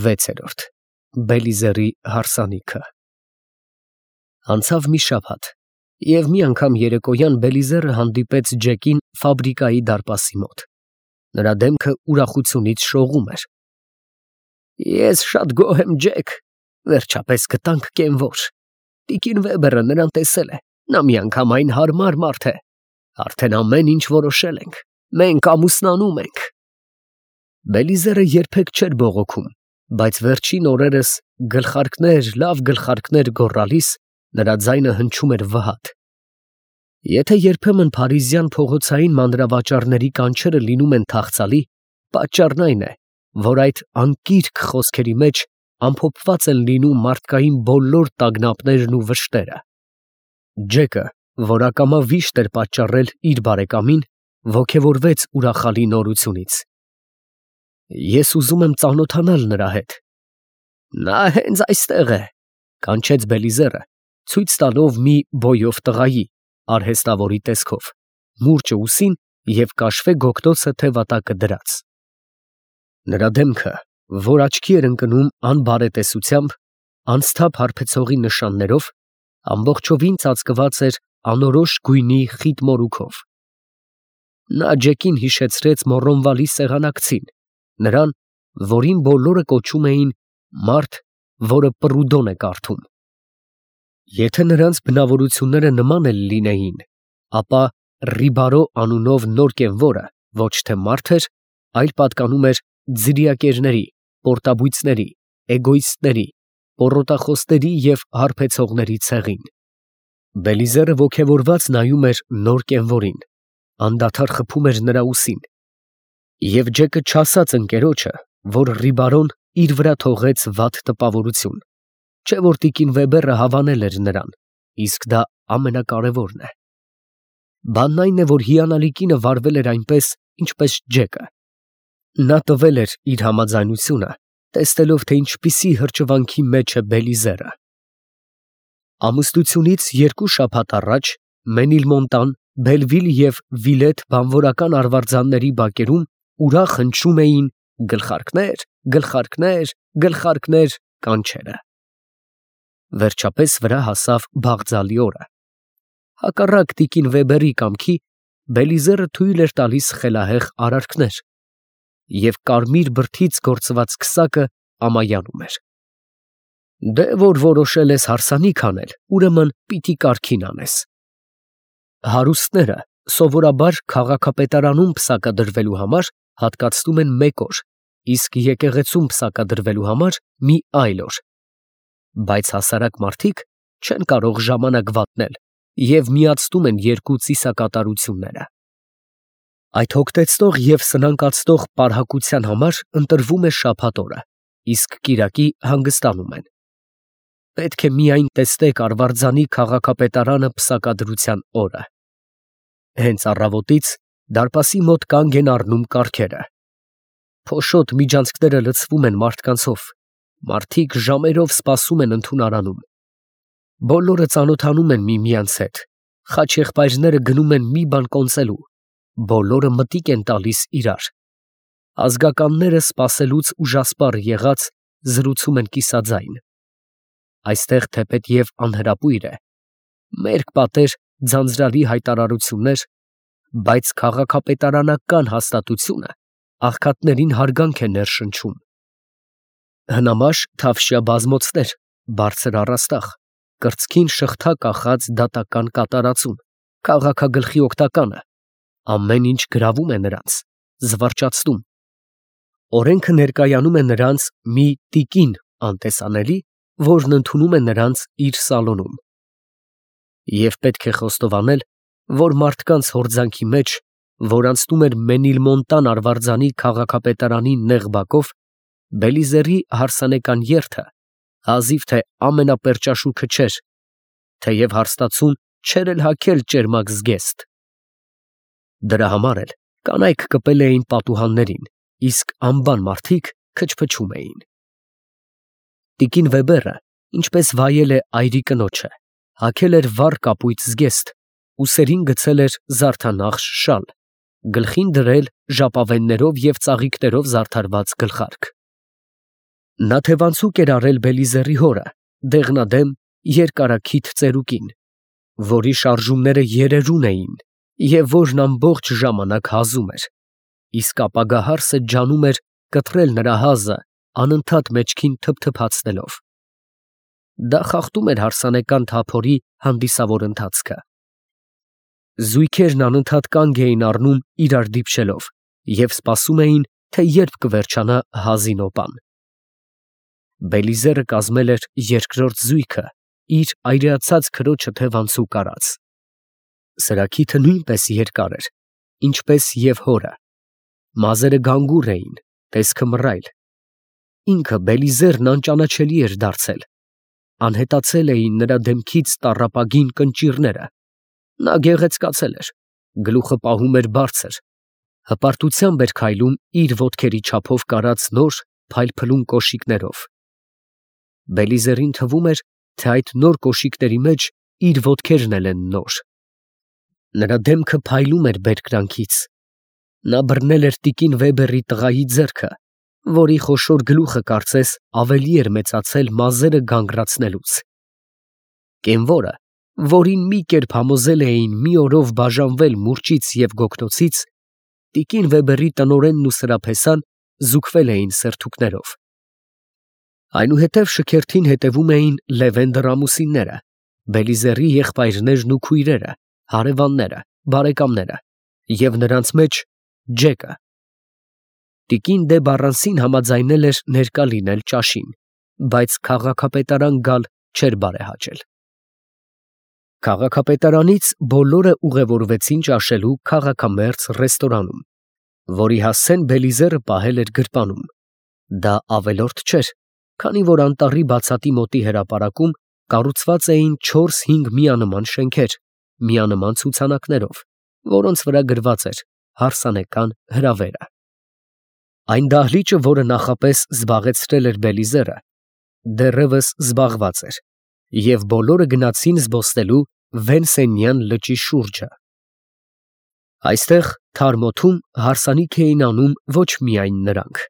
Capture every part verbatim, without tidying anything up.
վեցերորդ Բելիզերի հարսանիքը Անցավ մի շաբաթ, և մի անգամ երեկոյան Բելիզերը հանդիպեց Ջեկին ֆաբրիկայի դարպասի մոտ. նրա դեմքը ուրախությունից շողում էր։ Ես շատ գոհ եմ, Ջեք, վերջապես գտանք կենվոր։ Տիկին Վեբերը նրան տեսել է, նա միանգամայն հարմար մարդ է, արդեն ամեն ինչ որոշել ենք, մենք ամուսնանում ենք։ Բելիզերը երբեք չէր բողոքում, բայց վերջին օրերս գլխարկներ, լավ գլխարկներ գոռալիս, նրա ձայնը հնչում էր վհատ։ Եթե երբեմն փարիզյան փողոցային մանրավաճառների կանչերը լինում են թախծալի, պատճառն այն է, որ այդ անկիրք խոսքերի մեջ ամփոփված են լինում մարդկային բոլոր տագնապներն ու վշտերը։ Ջեկը, որ ակամա վիշտ էր պատճառել իր բարեկամին, ոգևորվեց ուրախալի նորությունից։ Ես ուզում եմ ծանոթանալ նրա հետ։ Նա հենց այստեղ է, կանչեց Բելիզերը, ցույց տալով մի բոյով տղայի, արհեստավորի տեսքով, մուրճը ուսին և կաշվե գոգտոցը թևատակը դրած։ Նրա դեմքը, որ աչքի էր ընկնում անբարետեսությամբ, անսթափ հարբեցողի նշաններով, ամբողջովին ծածկված էր անորոշ գույնի խիտ մորուքով։ Նա Ջեկին հիշեցրեց Մոռոնվալի սեղանակցին, նրան, որին բոլորը կոչում էին մարդ, որը Պռուդոն է կարդում։ Եթե նրանց բնավորությունները նման էլ լինեին, ապա Ռիբարո անունով նոր կենվորը ոչ թե մարդ էր, այլ պատկանում էր ձրիակերների, պորտաբույծների, էգոիստների, պոռոտախոսների և հարբեցողների ցեղին։ Բելիզերը ոգևորված նայում էր նոր կենվորին, անդադար խփում էր նրա ուսին, և Ջեկը չասաց ընկերոջը, որ Ռիբարոն իր վրա թողեց վատ տպավորություն, չէ որ տիկին Վեբերը հավանել էր նրան, իսկ դա ամենակարևորն է։ Բանն այն է, որ հիանալի կինը վարվել էր այնպես, ինչպես Ջեկը։ Նա տվել էր իր համաձայնությունը, տեսնելով, թե ինչպիսի հրճվանքի մեջ է Բելիզերը։ Ամուսնությունից երկու շաբաթ առաջ Մենիլմոնտան, Բելվիլ և Վիլետ բանվորական արվարձանների բակերում ուրախ հնչում էին գլխարկներ, գլխարկներ, գլխարկներ կանչերը։ Վերջապես վրա հասավ բաղձալի օրը։ Հակառակ տիկին Վեբերի կամքի, Բելիզերը թույլ էր տալիս խելահեղ արարքներ, և կարմիր բրդից գործված քսակը ամայանում էր։ Դե որ որոշել ես հարսանիք անել, ուրեմն պիտի կարգին անես։ Հարուստները սովորաբար քաղաքապետարանում պսակադրվելու համար հատկացնում են մեկ օր, իսկ եկեղեցում պսակադրվելու համար մի այլ օր, բայց հասարակ մարդիկ չեն կարող ժամանակ վատնել և միացնում են երկու ծիսակատարությունները։ Այդ հոգտեցնող և սնանկացնող պարհակության համար ընտրվում է շաբաթ օրը, իսկ կիրակի հանգստանում են։ Պետք է միայն տեսնեք արվարձանի քաղաքապետարանը պսակադրության օրը։ Հենց առավոտից դարպասի մոտ կանգ են առնում կառքերը։ Փոշոտ միջանցքները լցվում են մարդկանցով, մարդիկ ժամերով սպասում են ընդունարանում։ Բոլորը ծանոթանում են միմյանց հետ, խաչեղբայրները գնում են մի բան կոնծելու, բոլորը մտիկ են տալիս իրար։ Ազգականները սպասելուց ուժասպառ եղած զրուցում են կիսաձայն։ Այստեղ թեպետև անհրապույր է, մերկ պատեր ձանձրալի հայտարարություններ, բայց քաղաքապետարանական հաստատությունը աղքատներին հարգանք է ներշնչում։ Հնամաշ թավշյա բազմոցներ, բարձր առաստաղ, կրծքին շղթա կախած դատական կատարածուն, քաղաքագլխի օգտականը, ամեն ինչ գրավում է նրանց, զվարճացնում։ Օրենքը ներկայանում է նրանց մի տիկին անտեսանելի, որն ընդունում է նրանց իր սալոնում։ Եվ պետք է խոստովանել, որ մարդկանց հորձանքի մեջ, որ անցնում էր Մենիլմոնտան արվարձանի քաղաքապետարանի նեղ բակով, Բելիզերի հարսանեկան երթը հազիվ թե ամենապերճաշուքը չէր, թեև հարստացուն չէր էլ հագել ճերմակ զգեստ։ Դրա համար էլ կանայք կպել էին պատուհաններին, իսկ անբան մարդիկ քչփչում էին։ Տիկին Վեբերը, ինչպես վայել է այրի կնոջը, հագել էր վառ կապույտ զգեստ, ուսերին գցել էր զարդանախշ շալ, գլխին դրել ժապավեններով և ծաղիկներով զարդարված գլխարկ։ Նա թևանցուկ էր արել Բելիզերի հորը, դեղնադեմ, երկարաքիթ ծերուկին, որի շարժումները երերուն էին և որն ամբողջ ժամանակ հազում էր, իսկ ապագա հարսը ջանում էր կտրել նրա հազը, անընդհատ մեջքին թփթփացնելով. դա խախտում էր հարսանեկան թափորի հանդիսավոր ընթացքը։ Զույգերն անընդհատ կանգ էին առնում իրար դիպչելով և սպասում էին, թե երբ կվերջանա հազի նոպան։ Բելիզերը կազմել էր երկրորդ զույգը իր այրեացած քրոջը թևանցուկ արած։ Սրա քիթը նույնպես երկար էր, ինչպես և հորը, մազերը գանգուր էին, տեսքը մռայլ։ Ինքը Բելիզերն անճանաչելի էր դարձել, անհետացել էին նրա դեմքից տառապագին կնճիռները, նա գեղեցկացել էր, գլուխը պահում էր բարձր, հպարտությամբ էր քայլում իր ոտքերի չափով կարած նոր փայլփլուն կոշիկներով։ Բելիզերին թվում էր, թե այդ նոր կոշիկների մեջ իր ոտքերն էլ են նոր։ Նրա դեմքը փայլում էր բերկրանքից։ Նա բռնել էր տիկին Վեբերի տղայի ձեռքը, որի խոշոր գլուխը կարծես ավելի էր մեծացել մազերը գանգրացնելուց։ Կենվորը, որին մի կերպ համոզել էին մի օրով բաժանվել մուրճից և գոգնոցից, տիկին Վեբերի տնօրենն ու սրափեսան զուգվել էին սերթուկներով։ Այնուհետև շքերթին հետևում էին Լևենդր ամուսինները, Բելիզերի եղբայրներն ու քույրերը, հարևանները, բարեկամները և նրանց մեջ Ջեկը։ Տիկին դե Բառանսին համաձայնել էր ներկա լինել ճաշին, բայց քաղաքապետարան գալ չէր բարեհաճել։ Քաղաքապետարանից բոլորը ուղևորվեցին ճաշելու քաղաքամերձ ռեստորանում, որի հասցեն Բելիզերը պահել էր գրպանում։ Դա ավելորդ չէր, քանի որ անտառի բացատի մոտի հրապարակում կառուցված էին չորս֊հինգ միանման շենքեր, միանման ցուցանակներով, որոնց վրա գրված էր հարսանեկան հրավերը։ Այն դահլիճը, որը նախապես զբաղեցրել էր Բելիզերը, դեռևս զբաղված էր, և բոլորը գնացին զբոսնելու Վենսենյան լճի շուրջը։ Այստեղ թարմ օդում հարսանիք էին անում ոչ միայն նրանք։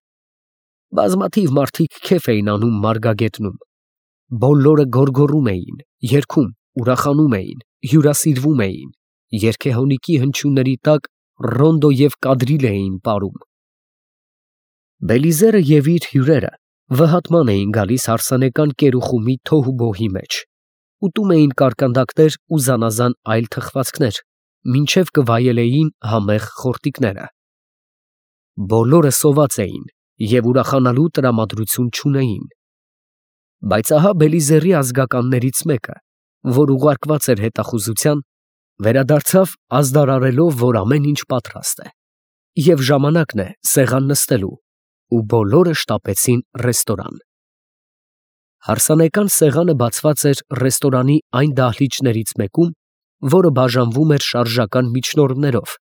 Բազմաթիվ մարդիկ քեֆ էին անում մարգագետնում։ Բոլորը գոռգոռում էին, երգում, ուրախանում էին, հյուրասիրվում էին, երգեհոնիկի հնչյունների տակ ռոնդո և կադրիլ էին պարում։ Բելիզերը և իր հյուրերը վհատման էին գալիս հարսանեկան կերուխումի թոհուբոհի մեջ, ուտում էին կարկանդակներ ու զանազան այլ թխվածքներ, մինչև կվայելեին համեղ խորտիկները։ Բոլորը սոված էին և ուրախանալու տրամադրություն չունեին։ Բայց ահա Բելիզերի ազգականներից մեկը, որ ուղարկված էր հետախուզության, վերադարձավ ազդարարելով, որ ամեն ինչ պատրաստ է, և ժամանակն է սեղան նստելու, ու բոլորը շտապեցին ռեստորան։ Հարսանեկան սեղանը բացված էր ռեստորանի այն դահլիճներից մեկում, որը բաժանվում էր շարժական միջնորդներով,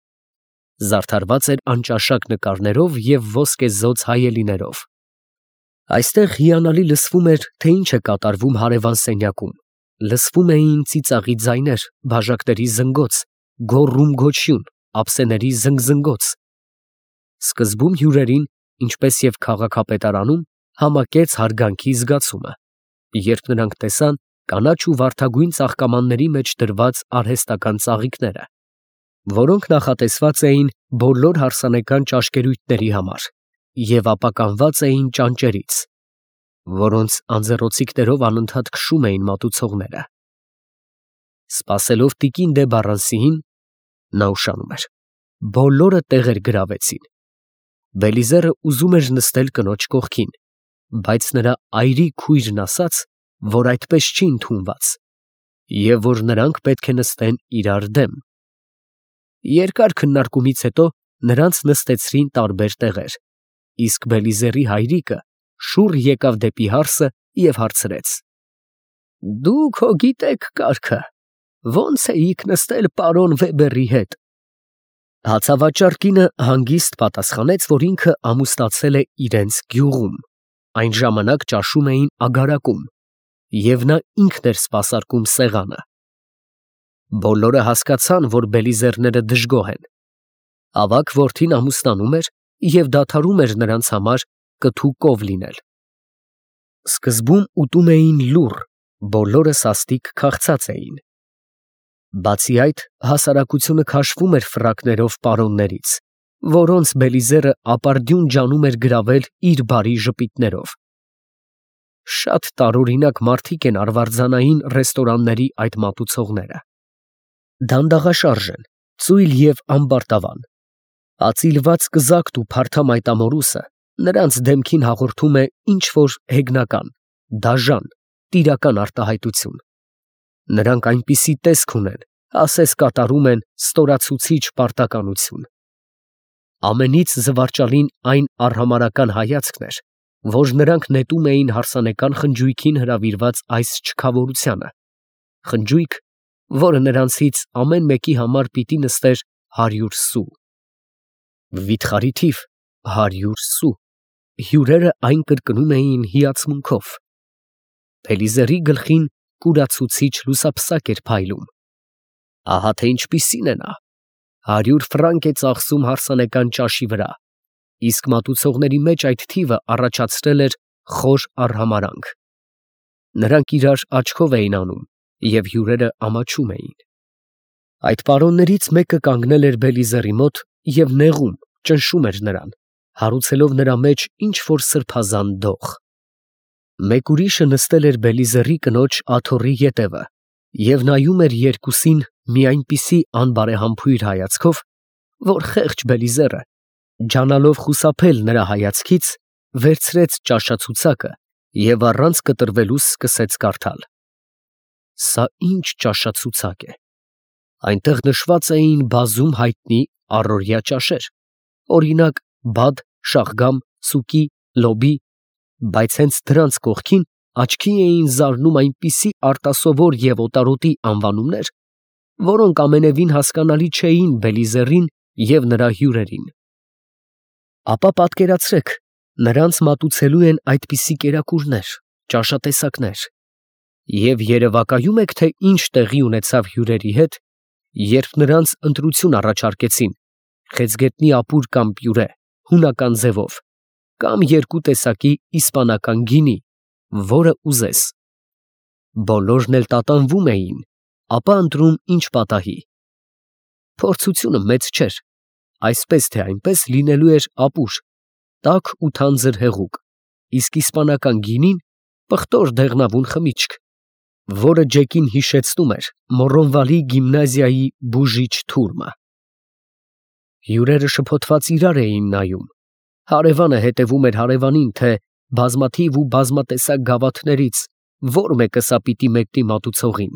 զարդարված էր անճաշակ նկարներով և ոսկեզօծ հայելիներով։ Այստեղ հիանալի լսվում էր, թե ինչ է կատարվում հարևան սենյակում, լսվում էին ծիծաղի ձայներ, բաժակների զնգոց, գոռում֊գոչյուն, ափսեների զնգզնգոց։ Սկզբում հյուրերին, ինչպես և քաղաքապետարանում, համակեց հարգանքի զգացումը, երբ նրանք տեսան կանաչ ու վարդագույն ծաղկամանների մեջ դրված արհեստական ծաղիկները, որոնք նախատեսված էին բոլոր հարսանեկան ճաշկերույթների համար և ապականված էին ճանճերից, որոնց անձեռոցիկներով անընդհատ քշում էին մատուցողները։ Սպասելով տիկին դե Բառանսիին, նա ուշանում էր, բոլորը տեղեր գրավեցին։ Բելիզերը ուզում էր նստել կնոջ կողքին, բայց նրա այրի քույրն ասաց, որ այդպես չի ընդունված, և որ նրանք պետք է նստեն իրար դեմ։ Երկար քննարկումից հետո նրանց նստեցրին տարբեր տեղեր, իսկ Բելիզերի հայրիկը շուռ եկավ դեպի հարսը և հարցրեց. «Դուք հո գիտեք կարգը, ո՞նց էիք նստել պարոն Վեբերի հետ»։ Հացավաճառ կինը հանգիստ պատասխանեց, որ ինքը ամուսնացել է իրենց գյուղում, այն ժամանակ ճաշում էին ագարակում, և նա ինքն էր սպասարկում սեղանը։ Բոլորը հասկացան, որ Բելիզերները դժգոհ են։ Ավագ որդին ամուսնանում էր և դադարում էր նրանց համար կթու կով լինել։ Սկզբում ուտում էին լուռ, բոլորը սաստիկ քաղցած էին։ Բացի այդ, հասարակությունը քաշվում էր ֆրակներով պարոններից, որոնց Բելիզերը ապարդյուն ջանում էր գրավել իր բարի ժպիտներով։ Շատ տարօրինակ մարդիկ են արվարձանային ռեստորանների այդ մատուցողները։ Դանդաղաշարժ են, ծույլ և ամբարտավան։ Ածիլված կզակտ ու փարթամ այտամորուսը նրանց դեմքին հաղորդում է ինչ-որ հեգնական, դաժան, տիրական արտահայտություն։ Նրանք այնպիսի տեսք ունեն, ասես կատարում են ստորացուցիչ պարտականություն։ Ամենից զվարճալին այն արհամարհական հայացքն էր, որ նրանք նետում էին հարսանեկան խնջույքին հրավիրված այս չքավորությանը, խնջույք, որը նրանցից ամեն մեկի համար պիտի նստեր հարյուր սու։ Վիթխարի թիվ հարյուր սու, հյուրերը այն կրկնում էին հիացմունքով։ Բելիզերի գլխին կուրացուցիչ լուսափսակ էր փայլում։ Ահա թե ինչպիսին է նա, հարյուր ֆրանկ է ծախսում հարսանեկան ճաշի վրա, իսկ մատուցողների մեջ այդ թիվը առաջացրել էր խոր արհամարհանք։ Նրանք իրար աչքով էին անում, և հյուրերը ամաչում էին։ Այդ պարոններից մեկը կանգնել էր Բելիզերի մոտ և նեղում, ճնշում էր նրան, հարուցելով նրա մեջ ինչ֊որ սրբազան դող։ Մեկ ուրիշը նստել էր Բելիզերի կնոջ աթոռի ետևը և նայում էր երկուսին մի այնպիսի անբարեհամբույր հայացքով, որ խեղճ Բելիզերը, ջանալով խուսափել նրա հայացքից, վերցրեց ճաշացուցակը և առանց կտրվելու սկսեց կարդալ. «Սա ի՞նչ ճաշացուցակ է»։ Այնտեղ նշված էին բազում հայտնի առօրյա ճաշեր, օրինակ, բադ, շաղգամ, սուկի, լոբի, բայց հենց դրանց կողքին աչքի էին զարնում այնպիսի արտասովոր և օտարոտի անվանումներ, որոնք ամենևին հասկանալի չէին Բելիզերին և նրա հյուրերին։ Ապա պատկերացրեք, նրանց մատուցելու են այդպիսի կերակուրներ, ճաշատեսակներ, և երևակայում եք, թե ինչ տեղի ունեցավ հյուրերի հետ, երբ նրանց ընտրություն առաջարկեցին խեցգետնի ապուր կամ պյուրե, հունական ձևով, կամ երկու տեսակի իսպանական գինի, որը ուզես։ Բոլորն էլ տատանվում էին, ապա ընտրում ինչ պատահի։ Փորձությունը մեծ չէր, այսպես թե այնպես լինելու էր ապուր, տաք ու թանձր հեղուկ, իսկ իսպանական գինին պղտոր դեղնավուն խմիչք, որը Ջեկին հիշեցնում էր Մոռոնվալի գիմնազիայի բուժիչ թուրմը։ Հյուրերը շփոթված իրար էին նայում, հարևանը հետևում էր հարևանին, թե բազմաթիվ ու բազմատեսակ գավաթներից որ մեկը սա պիտի մեկնի մատուցողին,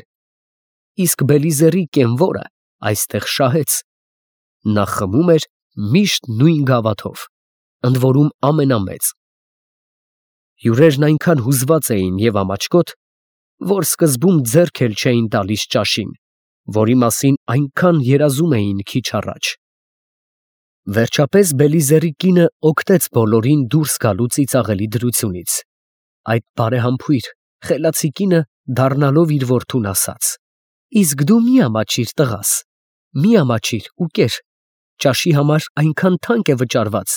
իսկ Բելիզերի կենվորը այստեղ շահեց։ Նա խմում էր միշտ նույն գավաթով, ընդ որում ամենամեծ։ Հյուրերն այնքան հուզված էին և ամաչկոտ, որ սկզբում ձեռք էլ չէին տալիս ճաշին, որի մասին այնքան երազում էին քիչ առաջ։ Վերջապես Բելիզերի կինը օգնեց բոլորին դուրս գալու ծիծաղելի դրությունից։ Այդ բարեհամբույր, խելացի կինը դառնալով իր որդուն ասաց. «Իսկ դու մի ամաչիր, տղաս, մի ամաչիր ու կեր, ճաշի համար այնքան թանկ է վճարված,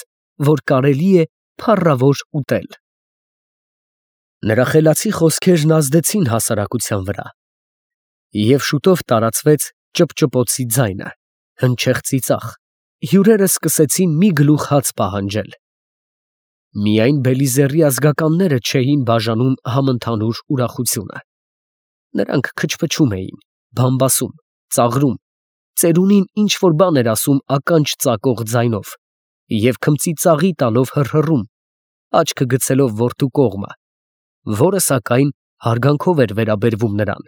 որ կարելի է փառավոր ուտել»։ Նրա խելացի խոսքերն ազդեցին հասարակության վրա, և շուտով տարածվեց ճփճփոցի ձայնը, հնչեղ ծիծաղ, հյուրերը սկսեցին մի գլուխ հաց պահանջել։ Միայն Բելիզերի ազգականները չէին բաժանում համընդհանուր ուրախությունը։ Նրանք քչփչում էին, բամբասում, ծաղրում, ծերունին ինչ֊որ բան էր ասում ականջ ծակող ձայնով և քմծիծաղի տալով հռհռում, աչքը գցելով որդու կողմը, որը սակայն հարգանքով էր վերաբերվում նրան,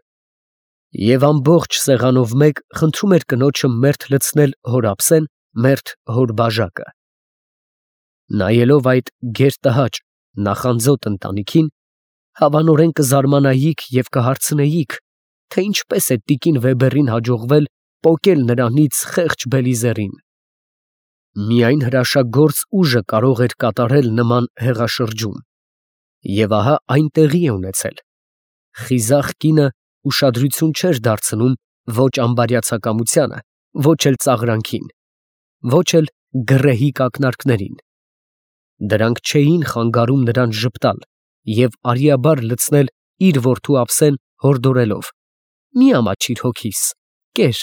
և ամբողջ սեղանով մեկ խնդրում էր կնոջը մերթ լցնել հոր ափսեն, մերթ հոր բաժակը։ Նայելով այդ գերտհաճ, նախանձոտ ընտանիքին, հավանորեն կզարմանայիք և կհարցնեիք, թե ինչպես է տիկին Վեբերին հաջողվել պոկել նրանից խեղճ Բելիզերին։ Միայն հրաշագործ ուժը կարող էր կատարել նման հեղաշրջում, և ահա այն տեղի է ունեցել։ Խիզախ կինը ուշադրություն չէր դարձնում ոչ ամբարյացակամությանը, ոչ էլ ծաղրանքին, ոչ էլ գռեհիկ ակնարկներին։ Դրանք չէին խանգարում նրան ժպտալ, և արիաբար լցնել իր որդու ափսեն հորդորելով. «Մի ամաչիր հոգիս, կեր»։